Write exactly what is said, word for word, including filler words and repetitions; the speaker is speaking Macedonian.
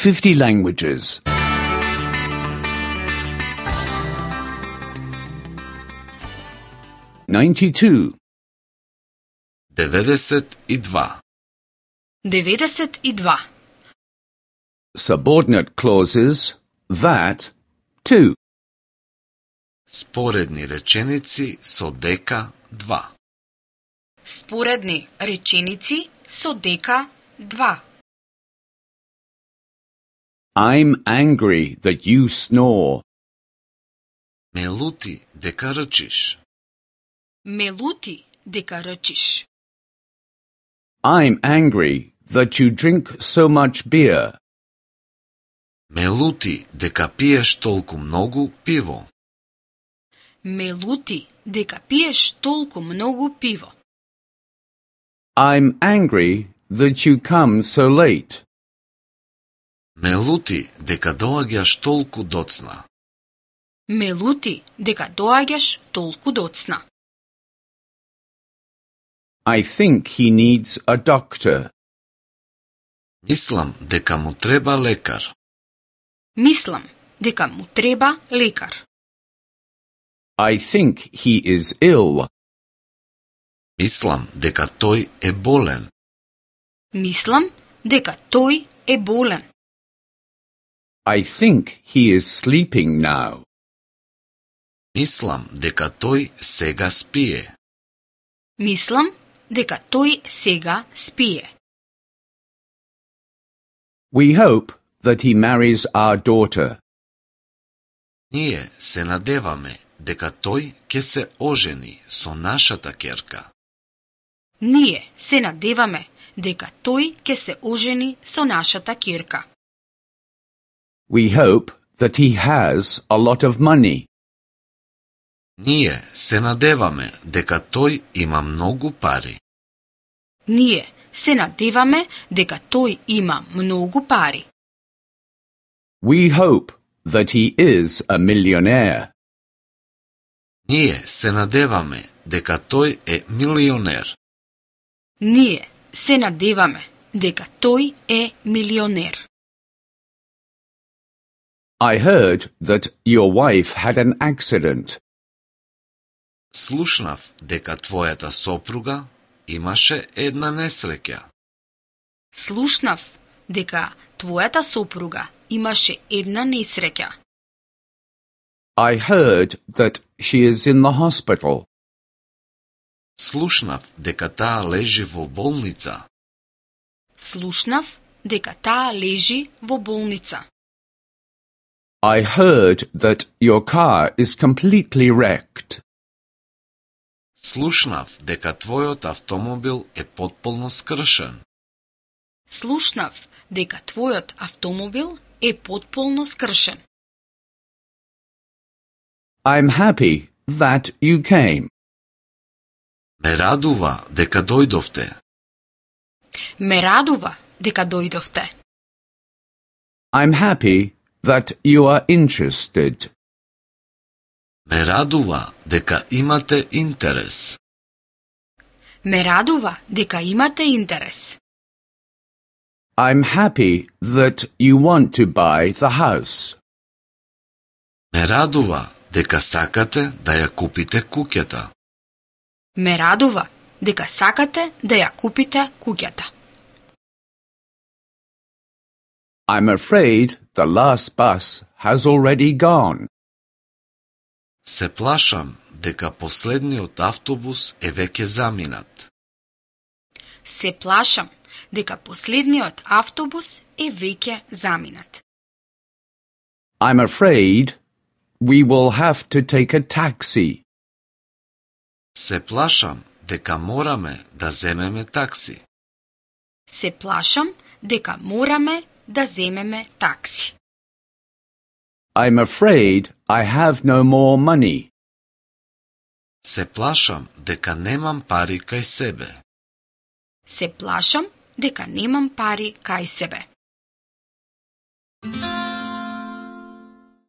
fifty languages. ninety-two. деветдесет и два. деветдесет и два. Subordinate clauses that, to. Споредни реченици со дека два. Споредни реченици со дека два. I'm angry that you snore. Ме лути дека рчиш. Ме лути дека рчиш. I'm angry that you drink so much beer. Ме лути дека пиеш толку многу пиво. Ме лути дека пиеш толку многу пиво. I'm angry that you come so late. Ме лути дека доаѓаш толку доцна. Ме лути дека доаѓаш толку доцна. I think he needs a doctor. Мислам дека му треба лекар. Мислам дека му треба лекар. I think he is ill. Мислам дека тој е болен. Мислам дека тој е болен. I think he is sleeping now. Мислам дека тој сега спие. Мислам дека тој сега спие. We hope that he marries our daughter. Ние се надеваме дека тој ќе се ожени со нашата ќерка. Ние се надеваме дека тој ќе се ожени со нашата ќерка. We hope that he has a lot of money. Ние се надеваме дека тој има многу пари. Ние се надеваме дека тој има многу пари. We hope that he is a millionaire. Ние се надеваме дека тој е милионер. Ние се надеваме дека тој е милионер. I heard that your wife had an accident. Слушнав дека твојата сопруга имаше една несреќа. Слушнав дека твојата сопруга имаше една несреќа. I heard that she is in the hospital. Слушнав дека таа лежи во болница. Слушнав дека таа лежи во болница. I heard that your car is completely wrecked. Слушнав дека твојот автомобил е потполно скршен. Слушнав дека твојот автомобил е потполно скршен. I'm happy that you came. Ме радува дека дојдовте. Ме радува дека дојдовте. I'm happy that you are interested. Ме радува дека имате интерес. Ме радува дека имате интерес. I'm happy that you want to buy the house. Ме радува дека сакате да ја купите куќата. Ме радува дека сакате да ја купите куќата. I'm afraid the last bus has already gone. Се плашам дека последниот автобус е веќе заминат. Се плашам дека последниот автобус е веќе заминат. I'm afraid we will have to take a taxi. Се плашам дека мораме да земеме такси. Се плашам дека мораме да земеме такси. I'm afraid I have no more money. Се плашам дека немам пари кај себе. Се плашам дека немам пари кај себе.